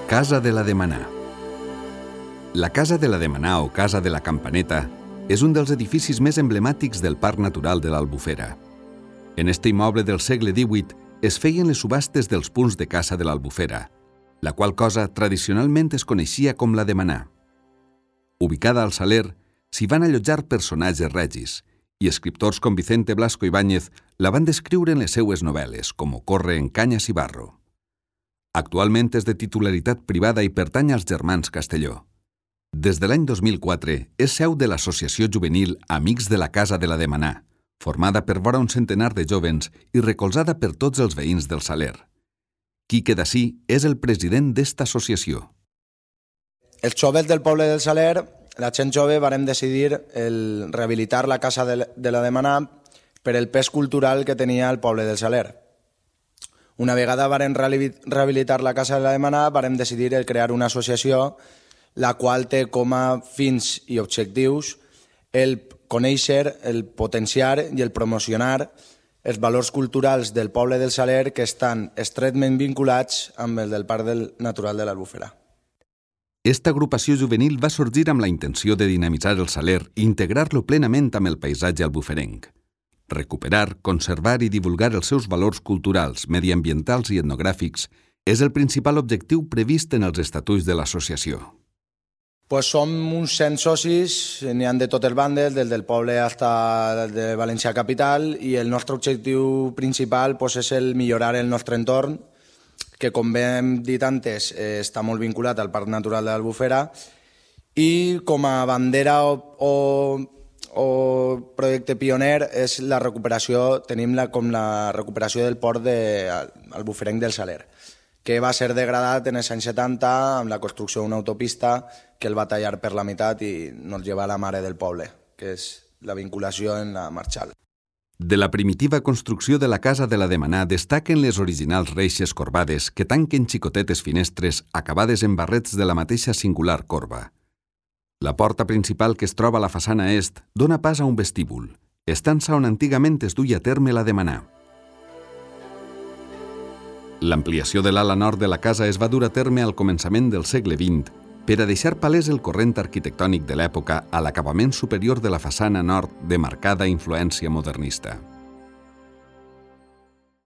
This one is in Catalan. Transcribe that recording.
Casa de la Demanar. La Casa de la Demanar o Casa de la Campaneta és un dels edificis més emblemàtics del Parc Natural de l'Albufera. En este immoble del segle XVIII es feien les subhastes dels punts de caça de l'Albufera, la qual cosa tradicionalment es coneixia com la Demanar. Ubicada al Saler, s'hi van allotjar personatges regis, i escriptors com Vicente Blasco Ibáñez la van descriure en les seues novel·les, com Ocorre en Canyes i Barro. Actualment és de titularitat privada i pertany als germans Castelló. Des de l'any 2004 és seu de l'associació juvenil Amics de la Casa de la Demanar, formada per vora un centenar de jóvens i recolzada per tots els veïns del Saler. Quique Dací és el president d'esta associació. Els joves del poble del Saler, la gent jove, vàrem decidir rehabilitar la Casa de la Demanar per el pes cultural que tenia el poble del Saler. Una vegada vàrem rehabilitar la Casa de la Demanar, vàrem decidir crear una associació la qual té com a fins i objectius el conèixer, el potenciar i el promocionar els valors culturals del poble del Saler que estan estretament vinculats amb el del Parc Natural de l'Albufera. Esta agrupació juvenil va sorgir amb la intenció de dinamitzar el Saler i integrar-lo plenament amb el paisatge albuferenc. Recuperar, conservar i divulgar els seus valors culturals, mediambientals i etnogràfics és el principal objectiu previst en els estatuts de l'associació. Som uns 100 socis, n'hi ha de totes bandes, des del poble fins de València capital, i el nostre objectiu principal és el millorar el nostre entorn, que, com bé hem dit antes, està molt vinculat al Parc Natural de l'Albufera, i com a bandera o projecte pioner és la recuperació, tenim com la recuperació del port albuferenc del Saler, que va ser degradat en els anys 70 amb la construcció d'una autopista que el va tallar per la meitat i nos lleva a la mare del poble, que és la vinculació en la Marxal. De la primitiva construcció de la Casa de la Demanar destaquen les originals reixes corbades que tanquen xicotetes finestres acabades en barrets de la mateixa singular corba. La porta principal que es troba a la façana est dona pas a un vestíbul, estança on antigament es duia a terme la Demanar. L'ampliació de l'ala nord de la casa es va dur a terme al començament del segle XX per a deixar palès el corrent arquitectònic de l'època a l'acabament superior de la façana nord de marcada influència modernista.